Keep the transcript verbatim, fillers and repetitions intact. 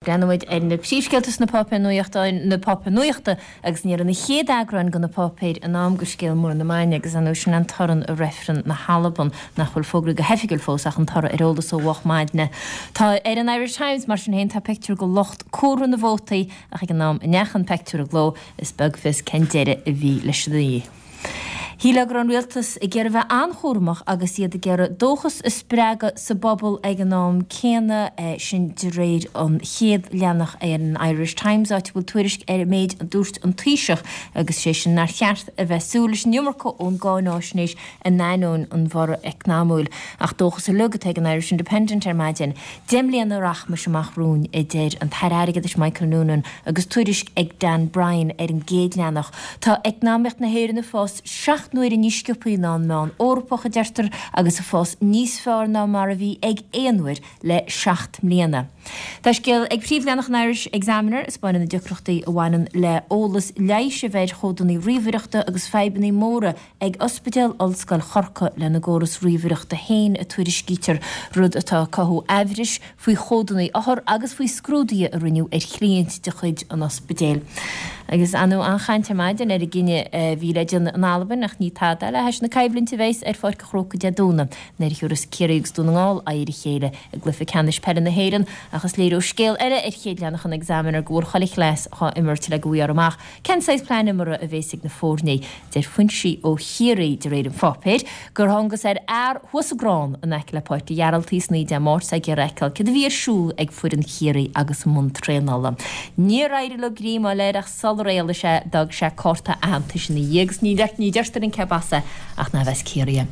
Breathnóimid ar na príomhscéalta sna páipéir nuachta na páipéir nuachta agus ní raibh na chéad eagráin de na páipéir in am do scéal mór na maidine agus an sin an toradh i reifreann na hAlban nach bhfuil fógraithe go hoifigiúil fós ach an toradh ar eolas ó mhoch maidine. Tá ar an Irish Times mar sin féin tá pictiúr de lucht comhartha na vótaí ach ag an am a ndeachaigh an pictiúr i gcló is beag fios cén deireadh a bhí leis an oíche. Shílfeá go raibh an rialtas ag iarraidh bheith an-chúramach agus iad ag iarraidh dóchas a spreagadh sa bpobal ag an am céanna sin de réir an chéad leathanach ar an Irish Times áit a bhfuil tuairisc ar an méid a dúirt an Taoiseach agus sé sin nár cheart a bheith súil leis an iomarca ón gcáináisnéis in ainneoin an bhorradh eacnamaíoch ach dóchas uilig atá ag an Irish Independent ar maidin. Deich mbliana rachmais amach romhainn a deir an tAire Airgeadais Michael Noonan agus tuairisc ag Dan Bryan ar an gcéad leathanach. Tá eacnamaíocht na hÉireann ag fás seacht n-uaire níos sciobtha ná an meán Eorpach a deirtear agus ag fás níos fearr ná mar a bhí ag aon uair le seacht mbliana. Tá scéal ag príomhleathanach an Irish Examiner ag spáint na deacrachtaí a bhaineann le eolas leighis a bheith ar chódanna ríomhaireachta agus fadhbanna móra ag Ospidéal Ollscoil Chorcaí lena gcóras ríomhaireachta féin a tuairiscítear rud atá cothú aimhris faoi chódanna othar agus faoi scrúduithe a rinneadh ar chliaint de chuid an ospidéil. Agus anú an-chaint ar maidin ar an gcinneadh a bhí le déanamh in Albain ach ní tada le hais na coimhlinte a bheas ar Pháirc an Chrócaigh Dé Domhnaigh nuair a thabharfas Ciarraí agus Dún na nGall aghaidh ar a chéile i gcluiche ceannais peile na hÉireann ach is léir ó scéal eile ar chéad leathanach an Examiner go bhfuil chuile chleas á imirt le go bhfaighfear amach cén saghas plean imeartha a bheas ag na foirne. Deir foinsí ó Chiarraí de réir an pháipéir gur thángthas ar fhear thuas i gcrann in aice le Páirc an Ghearaltaigh san oíche Dé Máirt ag iarraidh a fheiceáil céard a bhí ar siúl ag foireann Chiarraí agus i mbun traenála. Níor éirigh leo greim a fháil air ach sular éalaigh sé d'fhág sé cárta aitheantais ina dhiaidh agus ní ní deirtear an cé as ach nárbh as Ciarraí é.